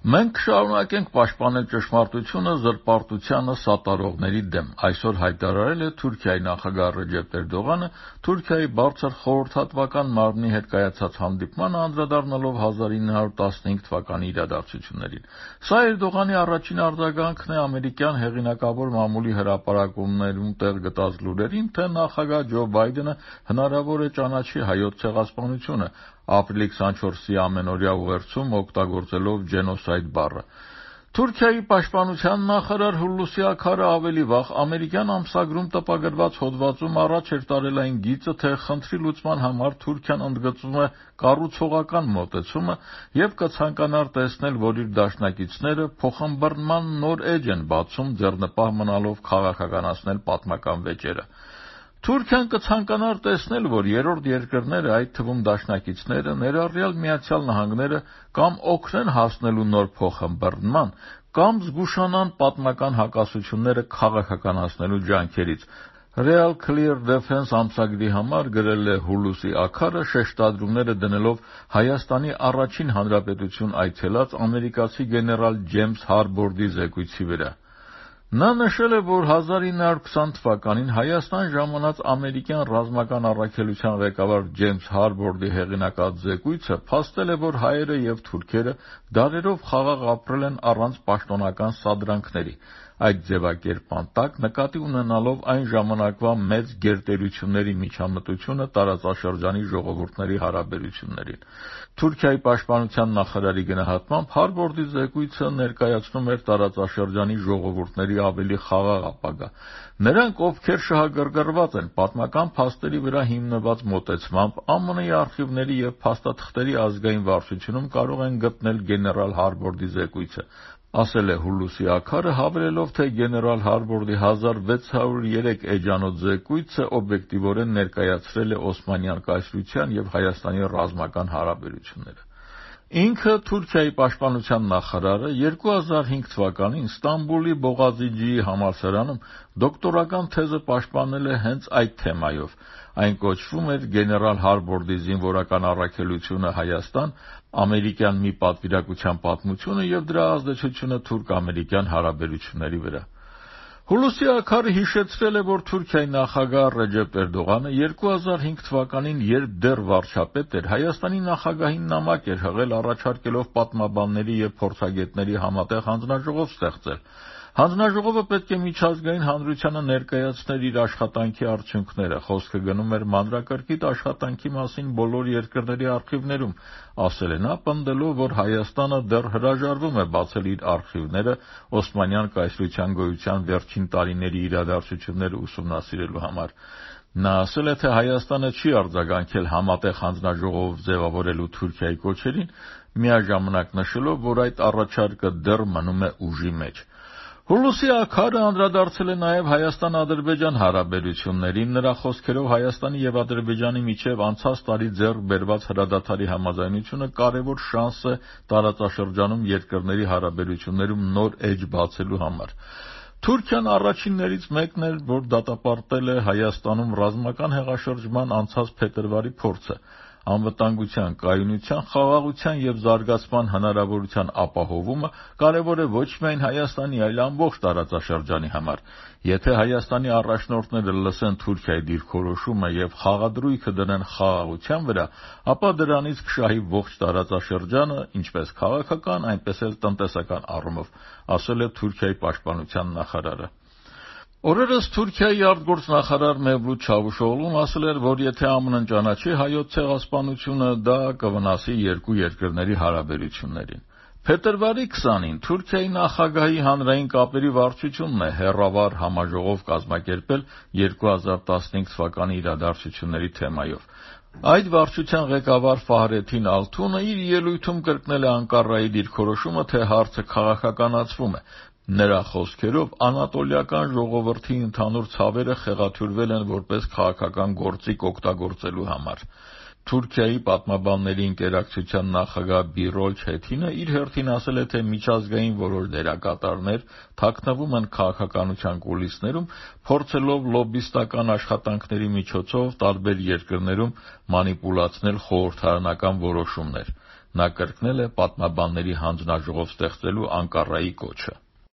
Մենք շարունակենք պաշտպանել ճշմարտությունը զրպարտությանը սատարողների դեմ, այսօր հայտարարել է Թուրքիայի նախագահ Ռեջեփ Էրդողանը Թուրքիայի բարձր խորհրդատվական մարմնի հետ կայացած հանդիպմանը անդրադառնալով 1915 թվականի իրադարձություններին։ Սա Էրդողանի առաջին արձագանքն է ամերիկյան հեղինակավոր մամուլի հրապարակումներում տեղ գտած լուրերին, թե նախագահ Ջո Բայդենը հնարավոր է ճանաչի հայոց ցեղասպանությունը ապրիլի 24-ի ամենօրյա ուղերձում օգտագործելով ջենոսայդ բառը։ Թուրքիայի պաշտպանության նախարար Հուլուսի Աքարը ավելի վաղ ամերիկյան ամսագրում տպագրված հոդվածում առաջ էր տարել այն գիծը, թե խնդրի լուծման համար Թուրքիան ընդգծում է կառուցողական մոտեցումը եւ կցանկանար տեսնել, որ իր դաշնակիցները փոխըմբռնման նոր էջ են բացում, ձեռնպահ մնալով քաղաքականացնել պատմական վեճերը։ Թուրքիան կցանկանար տեսնել, որ երրորդ երկրները, այդ թվում դաշնակիցները, ներառյալ Միացյալ Նահանգները, կամ օգնեն հասնելու նոր փոխըմբռնման, կամ զգուշանան պատմական հակասությունները քաղաքականացնելու ջանքերից։ Real Clear Defense ամսագրի համար գրել է Հուլուսի Աքարը, շեշտադրումները դնելով Հայաստանի առաջին հանրապետություն այցելած ամերիկացի գեներալ Ջեյմս Հարբորդի զեկույցի վրա։ Նա նշել է, որ 1920 թվականին Հայաստան ժամանած ամերիկյան ռազմական առաքելության ղեկավար Ջեյմս Հարբորդի հեղինակած զեկույցը փաստել է, որ հայերը եւ թուրքերը դարերով խաղաղ ապրել են առանց պաշտոնական սադրանքների։ Այդ ձևակերպման տակ նկատի ունենալով այն ժամանակվա մեծ գերտերությունների միջամտությունը տարածաշրջանի ժողովուրդների հարաբերություններին։ Թուրքիայի պաշտպանության նախարարի գնահատմամբ Հարբորդի զեկույցը ներկայացնում էր տարածաշրջանի ժողովուրդների ավելի խաղաղ ապագա։ Նրանք, ովքեր շահագրգռված են պատմական փաստերի վրա հիմնված մոտեցմամբ, ԱՄՆ-ի արխիվների եւ փաստաթղթերի ազգային վարչությունում կարող են գտնել գեներալ Հարբորդի զեկույցը, ասել է Հուլուսի Աքարը, հավելելով, թե գեներալ Հարբորդի 1603 էջանոց զեկույցը օբյեկտիվորեն ներկայացրել է Օսմանյան կայսրության եւ Հայաստանի ռազմական հարաբերությունները։ Ինքը Թուրքիայի պաշտպանության նախարարը 2005 թվականին Ստամբուլի Բողազիջիի համալսարանում դոկտորական թեզը պաշտպանել է հենց այդ թեմայով։ Այն կոչվում էր «Գեներալ Հարբորդի զինվորական առաքելությունը Հայաստան. ամերիկյան մի պատվիրակության պատմությունը եւ դրա ազդեցությունը թուրք-ամերիկյան հարաբերությունների վրա»։ Հուլուսի Աքարը հիշեցրել է, որ Թուրքիայի նախագահ Ռեջեփ Էրդողանը 2005 թվականին, երբ դեռ վարչապետ էր, Հայաստանի նախագահին նամակ էր հղել առաջարկելով պատմաբանների եւ փորձագետների համատեղ հանձնաժողով ստեղծել։ Հանձնաժողովը պետք է միջազգային հանրությանը ներկայացներ իր աշխատանքի արդյունքները, խոսքը գնում էր մանրակրկիտ աշխատանքի մասին բոլոր երկրների արխիվներում, ասել է նա, պնդելով, որ Հայաստանը դեռ հրաժարվում է բացել իր արխիվները Օսմանյան կայսրության գոյության վերջին տարիների իրադարձությունները ուսումնասիրելու համար։ Նա ասել է, թե Հայաստանը չի արձագանքել համատեղ հանձնաժողով ձևավորելու Թուրքիայի կոչերին, միաժամանակ նշելով, որ այդ առաջարկը դեռ մնում է ուժի մեջ։ Հուլուսի Աքարը անդրադարձել է նաև Հայաստան-Ադրբեջան հարաբերություններին, նրա խոսքերով Հայաստանի եւ Ադրբեջանի միջև անցած տարի ձեռք բերված հրադադարի համաձայնությունը կարևոր շանս է տարածաշրջանում երկրների հարաբերություններում նոր էջ բացելու համար։ Թուրքիան առաջիններից մեկն էր, որ դատապարտել է Հայաստանում ռազմական հեղաշրջման անցած փետրվարի փորձը։ Անվտանգության, կայունության, խաղաղության եւ զարգացման հնարավորության ապահովումը կարևոր է ոչ միայն Հայաստանի, այլ ամբողջ տարածաշրջանի համար։ Եթե Հայաստանի առաջնորդները լսեն Թուրքիայի դիրքորոշումը եւ խաղադրույքը դնեն խաղաղության վրա, ապա դրանից կշահի ողջ տարածաշրջանը, ինչպես քաղաքական, այնպես էլ տնտեսական առումով, ասել է Թուրքիայի պաշտպանության նախարարը։ Օրերս Թուրքիայի արտգործնախարար Մևլութ Չավուշօղլուն ասել էր, որ եթե ԱՄՆ-ն ճանաչի հայոց ցեղասպանությունը, դա կվնասի երկու երկրների հարաբերություններին։ Փետրվարի 20-ին Թուրքիայի նախագահի հանրային կապերի վարչությունն է հեռավար համաժողով կազմակերպել 2015 թվականի իրադարձությունների թեմայով։ Այդ վարչության ղեկավար Ֆահրեթին Ալթունը իր ելույթում կրկնել է Անկարայի դիրքորոշումը, թե հարցը քաղաքականացվում է։ Նրա խոսքերով անատոլիական ժողովրդի ընդհանուր ցավերը խեղաթյուրվել են որպես քաղաքական գործիք օգտագործելու համար։ Թուրքիայի պատմաբանների ընկերակցության նախագահ Բիրոլ Չեթինը իր հերթին ասել է, թե միջազգային որոշ դերակատարներ թաքնվում են քաղաքականության կուլիսներում, փորձելով լոբբիստական աշխատանքների միջոցով տարբեր երկրներում մանիպուլացնել խորհրդարանական որոշումներ։ Նա կրկնել է պատմաբանների հանձնաժողով ստեղծելու Անկարայի կոչը։